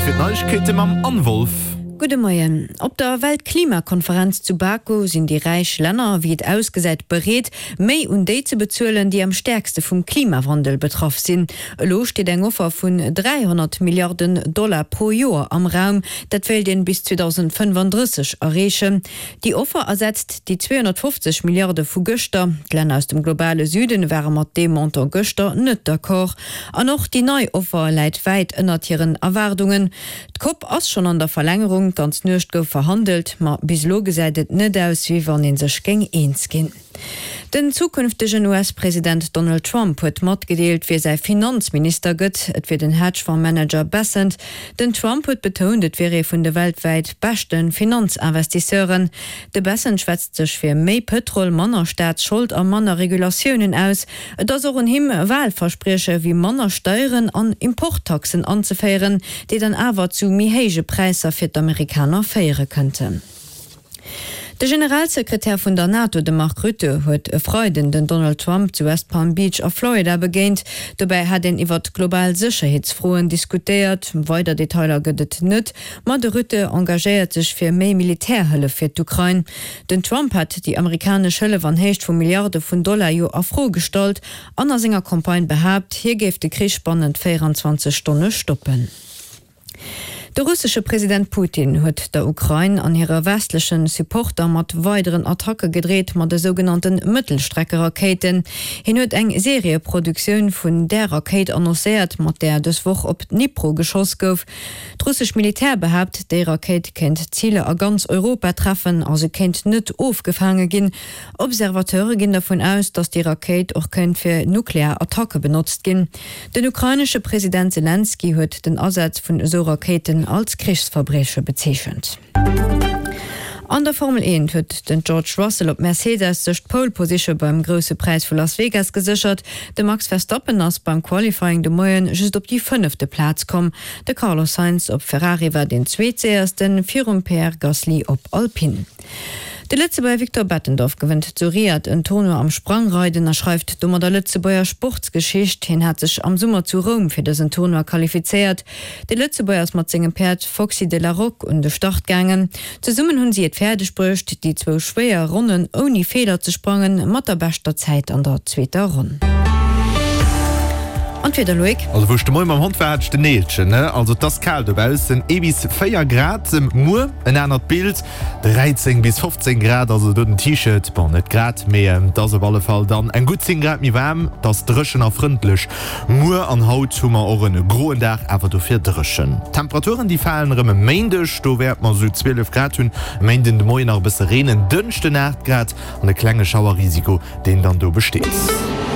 Zäit fir d'Neiegkeete mam Anne Wolff. Gudde Moien. Op der Weltklimakonferenz zu Baku sinn déi räich Länner, wéi et ausgesäit, bereet, méi un déi ze bezuelen, déi am stäerkste vum Klimawandel betraff sinn. Elo steet eng Offer vun 300 Milliarden Dollar pro Joer am Raum. Dat wéilt een bis 2035 erreechen. Déi Offer ersetzt déi 250 Milliarde vu gëschter. D'Länner aus dem globale Süden ware mat deem Montant gëschter net d'accord. An och déi nei Offer läit wäit ënnert hiren Erwaardungen. D'Cop ass schonn an der Verlängerung, d'ganz Nuecht gouf verhandelt, ma bis elo gesäit et net aus, wéi wann ee sech géing eens ginn. Den zukünftegen US-President Donald Trump huet matgedeelt, wie säi Finanzminister gëtt. Et wier den Hedgefonds-Manager Bessent. Den Trump huet betount, et wier ee vun de weltwäit beschte Finanzinvestisseuren. De Bessent schwätzt sech fir méi Pëtrol, manner Staatsschold a manner Regulatiounen aus. Et ass och un him, Walversprieche wéi manner Steieren an Importtaxen anzeféieren, déi dann awer zu méi héije Präisser fir d'Amerikaner féiere kënnten. De Generalsekretär vun der NATO, de Mark Rutte, huet e Freiden den Donald Trump zu West Palm Beach a Florida begéint. Dobäi hat een iwwert global Sécherheetsfroen diskutéiert. Weider Detailer gëtt et net, ma de Rutte engagéiert sech fir méi Militärhëllef fir d'Ukrain. Den Trump hat déi amerikanesch Hëllef an Héicht vu Milliarde vun Dollar jo a Fro gestallt an a senger Campagne behaapt, hie géif de Krich bannent 24 Stonne stoppen. De russesche President Putin huet der Ukrain an hire westleche Supporter mat weideren Attacke gedreet mat de sougenannte Mëttelstreckerakéiten. Hien huet eng Serieproduktioun vun där Rakéit annoncéiert, mat där dës Woch op Dnipro geschoss gouf. D'russesch Militär behaapt, déi Rakéit kéint Ziler a ganz Europa treffen a se kéint net ofgefaange ginn. Observateure ginn dervun aus, datt déi Rakéit och kéint fir nuklear Attacke benotzt ginn. Den ukrainesche President Selenskyj huet den Asaz vun esou Rakéiten als Krichsverbrieche bezeechent. An der Formel 1 huet den George Russell op Mercedes sech d'Pole Position beim Grousse Präis vu Las Vegas geséchert. De Max Verstappen ass beim Qualifying de Moien just op déi fënnefte Plaz komm. De Carlos Sainz op Ferrari war deen Zweetséiersten, virum Pierre Gasly op Alpine. De Lëtzebuerger Victor Bettendorf gewënnt zu Riyadh en Tournoi am Sprangreiden a schreift domadder Lëtzebuerger Sportsgeschicht. Hien hat sech am Summer zu Roum fir dësen Tournoi qualifizéiert. De Lëtzebuerger ass mat sengem Päerd Foxy de la Roque un de Start gaangen. Zesummen hunn si et fäerdeg bruecht, déi zwou schwéier Ronnen ouni Feeler ze sprangen, mat der beschter Zäit an der zweeter Ronn. An d'Wieder, Loïc? Also wou ech de Moie mam Hond war, hat ech den Neelchen, ne? Also et ass kal dobaussen, ee bis 4 Grad. Muer en anert Bild, 13 bis 15 Grad, also do den T-Shirt, bon net grad, mee et ass op alle Fall dann eng gutt 10 Grad méi waarm. Et ass dréchen a frëndlech muer an haut hu mer och en groen Dag, awer dofir dréchen. D'Temperaturen déi falen erëm e Méindeg, do wäerte mer esou 12 Grad hunn, e Méinden de Moien nach e bësse Reen, en Dënschden 8 Grad an e klenge Schauerrisiko deen dann do besteet.